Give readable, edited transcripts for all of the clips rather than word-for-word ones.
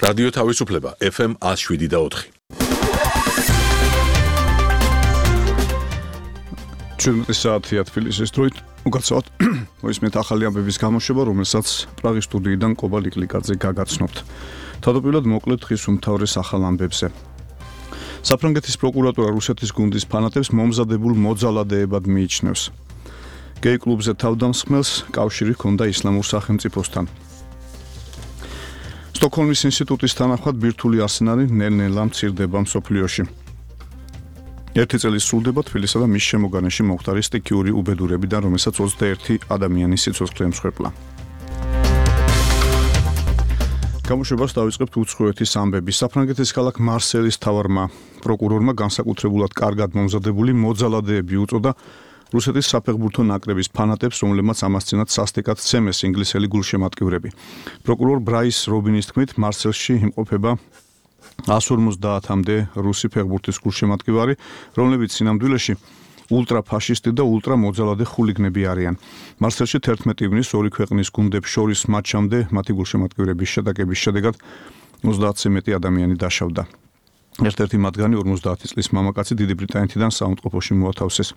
რადიო თავისუფლება FM 107.4. ჩვენი საათია თბილისის დროით უკაცრავად მოისმენთ ახალი ამბების გამოშვება, რომელსაც პრაღის სტუდიიდან კობა ლიკლიკაძე გაგაცნობთ. თავდაპირველად მოკლედ დღის უმთავრეს ახალ ამბებზე. საფრანგეთის პროკურატურა რუსეთის გუნდის ფანატებს მომზადებულ მოძალადეებად მიიჩნევს. გეი კლუბზე თავდამსხმელს კავშირი ჰქონდა ისლამურ სახელმწიფოსთან. სტოკჰოლმის ინსტიტუტის თანახმად ბირთვული არსენალი ნელ-ნელა მცირდება მსოფლიოში. ერთი წელი სრულდება თბილისსა და მის შემოგარენში მომხდარი სტიქიური უბედურებიდან, რომელსაც 21 ადამიანის სიცოცხლე ემსხვერპლა. გამოშვებას დავიწყებთ უცხოეთის ამბების. საფრანგეთის ქალაქ მარსელის მთავარმა პროკურორმა განსაკუთრებულად კარგად მომზადებული მოძალადეები უწოდა რუსეთის საფეხბურთო ნაკრების ფანატებს, რომლებმაც ამასწინათ სასტიკად ცემეს ინგლისელი გულშემატკივრები. პროკურორ ბრაის რობინის თქმით, მარსელში იმყოფება 150-მდე რუსი ფეხბურთის გულშემატკივარი, რომლებიც სინამდვილეში ულტრაფაშისტი და ულტრამოძალადე ხულიგნები არიან. მარსელში 11 ივნის ორი ქვეყნის გუნდებს შორის მატჩამდე მათი გულშემატკივრების შეტაკების შედეგად 30-ზე მეტი ადამიანი დაშავდა. ერთ-ერთი მათგანი 50 წლის მამაკაცი დიდი ბრიტანეთიდან საუნდყოფოში მოათავსეს.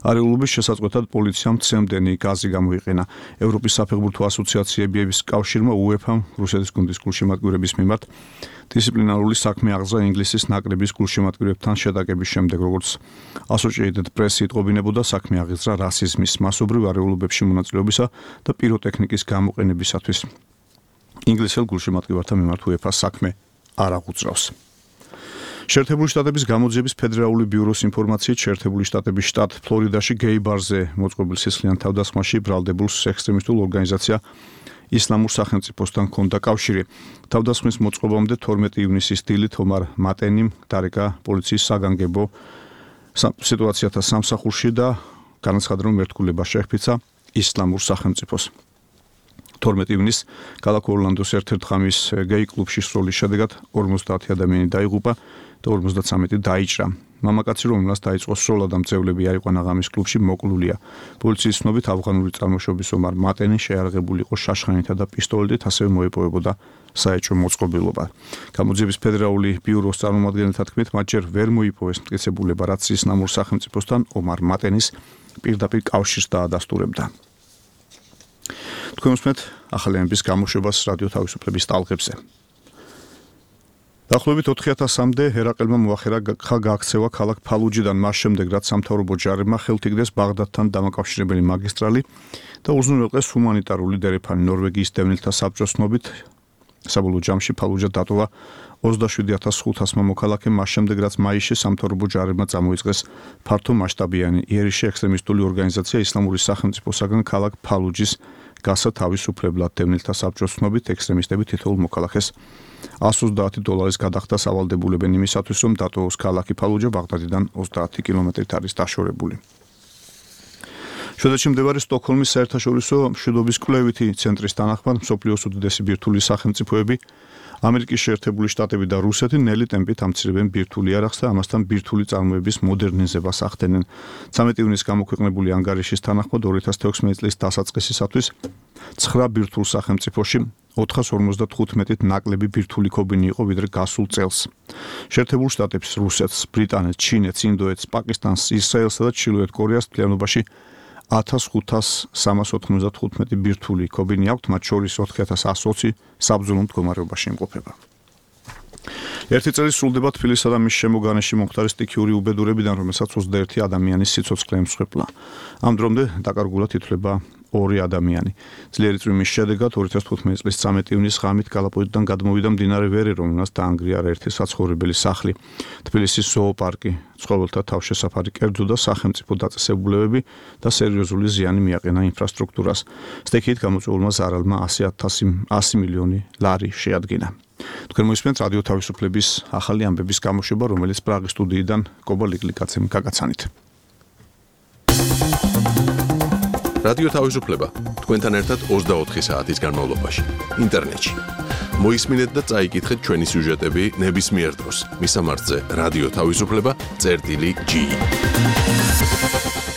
არეულობის შესაწყვეტად პოლიციამ ცემდენი გაზი გამოიყენა. ევროპის საფეხბურთო ასოციაციების კავშირმა UEFA-მ რუსეთის გუნდის გულშემატკივრების მიმართ დისციპლინარული საქმე აღძრა ინგლისის ნაკრების გულშემატკივრებთან შეტაკების შემდეგ, როგორც Associated Press იტყობინებოდა, საქმე აღიძრა რასიზმის, მასობრივ არეულობებში მონაწილეობისა და პიროტექნიკის გამოყენებისათვის. ინგლისელ გულშემატკივართა მიმართ UEFA საქმე არ აღუძრავს. შეერთებული შტატების გამოძიების ფედერალური ბიუროს ინფორმაციით, შეერთებული შტატების შტატ ფლორიდაში გეი ბარზე მოწყობილ სისხლიან თავდასხმაში ბრალდებულ ექსტრემისტულ ორგანიზაცია ისლამურ სახელმწიფოსთან ჰქონდა კავშირი. თავდასხმის მოწყობამდე 12 ივნისის დილით ომარ მატენიმ დარეკა პოლიციის საგანგებო სიტუაციათა სამსახურში და განაცხადა, რომ მერტკულება შეჰფიცა ისლამურ სახელმწიფოს. 12 ივნის ქალაქ ორლანდოს ერთ-ერთ ღამის გეი კლუბში სროლის შედეგად 50 ადამიანი დაიღუპა და 53 დაიჭრა. მამაკაცი, რომელსაც დაიწყო სროლა და მძევლები აიყვანა ღამის კლუბში, მოკლულია. პოლიციის ცნობით ავღანური წარმოშობის ომარ მატენი შეარაღებული იყო შაშხანითა და პისტოლეტით, ასევე მოეპოვებოდა საეჭვო მოწყობილობა. გამოძიების ფედერალური ბიუროს წარმომადგენელთა თქმით, მათ ჯერ ვერ მოიპოვეს მტკიცებულება, რაც ისლამურ სახელმწიფოსთან ომარ მატენის პირდაპირ კავშირს დაადასტურებდა. თქვენ უსმენთ ახალი ამბების გამოშვებას რადიო თავისუფლების ტალღებზე. დაახლოებით 4000-მდე ერაყელმა მოახერა გაქცევა ქალაქ ფალუჯიდან მას შემდეგ, რაც სამთავრობო ჯარებმა ხელთ იგდეს ბაღდადთან დამაკავშირებელი მაგისტრალი და უზრუნველყეს ჰუმანიტარული დერეფანი. ნორვეგიის დევნილთა საბჭოს ცნობით, საბოლოო ჯამში ფალუჯა დატოვა 27500 მოქალაქე, მას შემდეგ, რაც მაისში სამთავრობო ჯარებმა წამოიწყეს ფართო მასშტაბიანი იერიში ექსტრემისტული ორგანიზაცია ისლამური სახელმწიფოსაგან ქალაქ ფალუჯის გასა თავისუფლებლად. დევნილთა საბჭოს ცნობით, ექსტრემისტები თითოეულ მოქალაქეს $130 გადახდას ავალდებულებენ იმისათვის, რომ დატოვოს ქალაქი ფალუჯა ბაღდადიდან 30 კილომეტრით არის დაშორებული. შვედეთში მდებარე სტოკჰოლმის საერთაშორისო მშვიდობის კვლევითი ცენტრის თანახმად, მსოფლიოს უდიდესი ბირთვული სახელმწიფოები ამერიკის შეერთებული შტატები და რუსეთი ნელი ტემპით ამცირებენ ბირთვული არახს და ამასთან ბირთვული წარმოების მოდერნიზებას ახდენენ. 13 ივნის გამოქვეყნებული ანგარიშის თანახმად 2016 წლის დასაწყისისათვის 9 ბირთვულ სახელმწიფოში 455-ით ნაკლები ბირთვული ქობინი იყო ვიდრე გასულ წელს. შეერთებულ შტატებს, რუსეთს, ბრიტანეთს, ჩინეთს, ინდოეთს, პაკისტანს, ისრაელსა და ჩრდილოეთ კორეას მთლიანობაში 1595 ბირთვული ქობინი აქვთ, მათ შორის 4120 საბრძოლო მდგომარეობაში იმყოფება. ერთი წელი სრულდება თბილისსა და მის შემოგარენში მომხდარი სტიქიური უბედურებიდან, რომელსაც 21 ადამიანის სიცოცხლე ემსხვერპლა. ამ დრომდე დაკარგულად ითვლება 2 ადამიანი. ძლიერი წვიმის შედეგად 2015 წლის 13 ივნის ღამით კალაპოტიდან გადმოვიდა მდინარე ვერე, რომელსაც დაანგრია ერთი საცხოვრებელი სახლი. თბილისის ზოოპარკი, ცხოველთა თავშესაფარი კერძო და სახელმწიფო დაწესებულებები და სერიოზული ზიანი მიაყენა ინფრასტრუქტურას. სტიქიით გამოწვეულმა ზარალმა 100 მილიონი ლარი შეადგინა. თქვენ მოისმენთ რადიო თავისუფლების ახალი ამბების გამოშვება, რომელიც პრაღის სტუდიიდან კობა ლიკლიკაძემ გაგაცანით. რადიო თავისუფლება თქვენთან ერთად 24 საათის განმავლობაში ინტერნეტში. მოისმინეთ და წაიკითხეთ ჩვენი სიუჟეტები ნებისმიერ დროს. მისამართზე რადიო თავისუფლება.ge